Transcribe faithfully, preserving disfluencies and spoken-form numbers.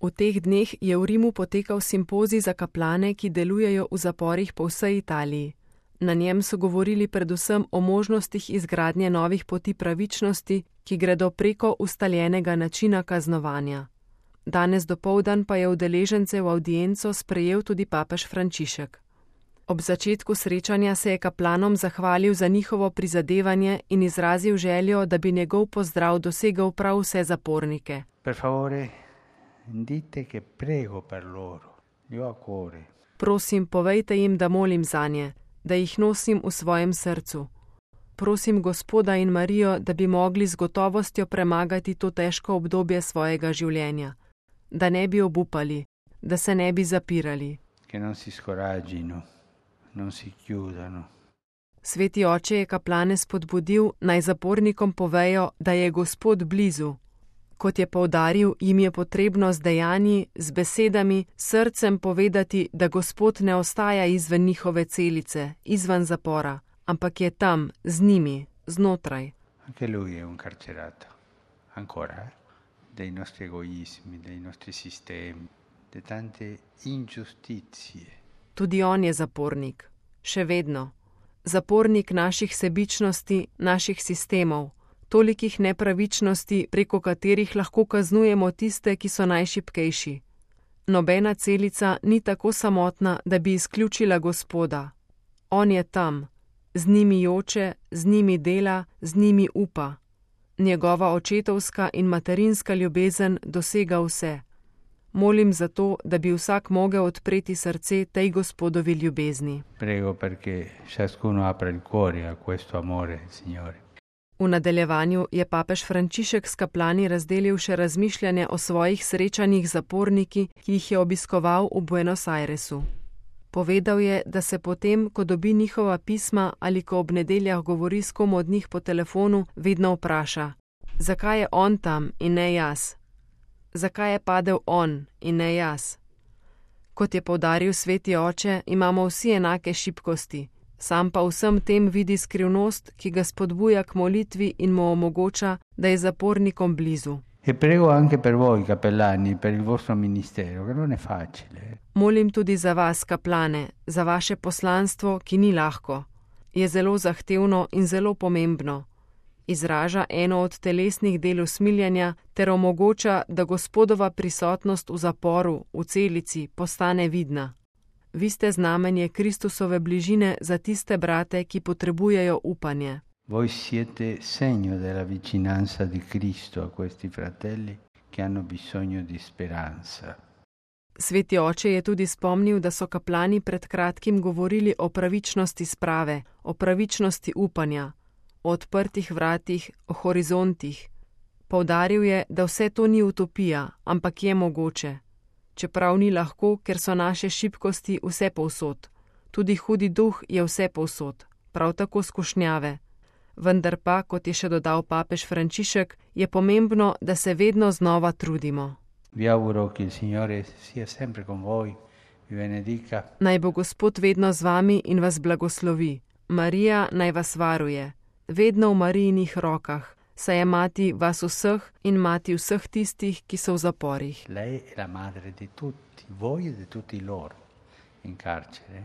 V teh dneh je v Rimu potekal simpozij za kaplane, ki delujejo v zaporih po vsej Italiji. Na njem so govorili predvsem o možnostih izgradnje novih poti pravičnosti, ki gredo preko ustaljenega načina kaznovanja. Danes dopoldan pa je udeležence v avdienco sprejel tudi papež Frančišek. Ob začetku srečanja se je kaplanom zahvalil za njihovo prizadevanje in izrazil željo, da bi njegov pozdrav dosegel prav vse zapornike. Per favore, dite che prego per loro, io a cuore. Prosim, povejte jim, da molim zanje, da jih nosim v svojem srcu. Prosim Gospoda in Marijo, da bi mogli z gotovostjo premagati to težko obdobje svojega življenja, da ne bi obupali, da se ne bi zapirali. Che non si scoraggino, non si chiudano. Sveti oče je kaplane spodbudil, naj zapornikom povejo, da je Gospod blizu. Kot je poudaril, jim je potrebno z dejanji, z besedami, srcem povedati, da Gospod ne ostaja izven njihove celice, izven zapora, ampak je tam, z njimi, znotraj. Anche lui è un carcerato, ancora, eh? Dei nostri egoismi, dei nostri sistemi, di tante ingiustizie. Tudi on je zapornik, še vedno. Zapornik naših sebičnosti, naših sistemov, tolikih nepravičnosti, preko katerih lahko kaznujemo tiste, ki so najšibkejši. Nobena celica ni tako samotna, da bi izključila Gospoda. On je tam, z njimi joče, z njimi dela, z njimi upa. Njegova očetovska in materinska ljubezen dosega vse. Molim za to, da bi vsak mogel odpreti srce tej Gospodovi ljubezni. Prego perché ciascuno apra il cuore a questo amore, Signore. V nadaljevanju je papež Frančišek s kaplani razdelil še razmišljanje o svojih srečanjih z zaporniki, ki jih je obiskoval v Buenos Airesu. Povedal je, da se potem, ko dobi njihova pisma ali ko ob nedeljah govori s kom od njih po telefonu, vedno vpraša, zakaj je on tam in ne jaz? Zakaj je padel on in ne jaz? Kot je poudaril sveti oče, imamo vsi enake šibkosti, sam pa vsem tem vidi skrivnost, ki ga spodbuja k molitvi in mu omogoča, da je zapornikom blizu. E prego anche per voi, cappellani, per il vostro ministero, che non è facile. Molim tudi za vas, kaplane, za vaše poslanstvo, ki ni lahko. Je zelo zahtevno in zelo pomembno. Izraža eno od telesnih del usmiljenja ter omogoča, da Gospodova prisotnost v zaporu, v celici, postane vidna. Vi ste znamenje Kristusove bližine za tiste brate, ki potrebujejo upanje. Voi siete segno della vicinanza di Cristo a questi fratelli che hanno bisogno di speranza. Sveti oče je tudi spomnil, da so kaplani pred kratkim govorili o pravičnosti sprave, o pravičnosti upanja, o odprtih vratih, o horizontih. Poudaril je, da vse to ni utopija, ampak je mogoče. Čeprav ni lahko, ker so naše šibkosti vse povsod. Tudi hudi duh je vse povsod, prav tako skušnjave. Vendar pa, kot je še dodal papež Frančišek, je pomembno, da se vedno znova trudimo. Vi auguro che il Signore sia sempre con voi, vi benedica. Naj bo Gospod vedno z vami in vas blagoslovi. Marija naj vas varuje. Vedno v Marijinih rokah, saj je mati vas vseh in mati vseh tistih, ki so v zaporih. Lei è la madre di tutti, voi e di tutti loro in carcere.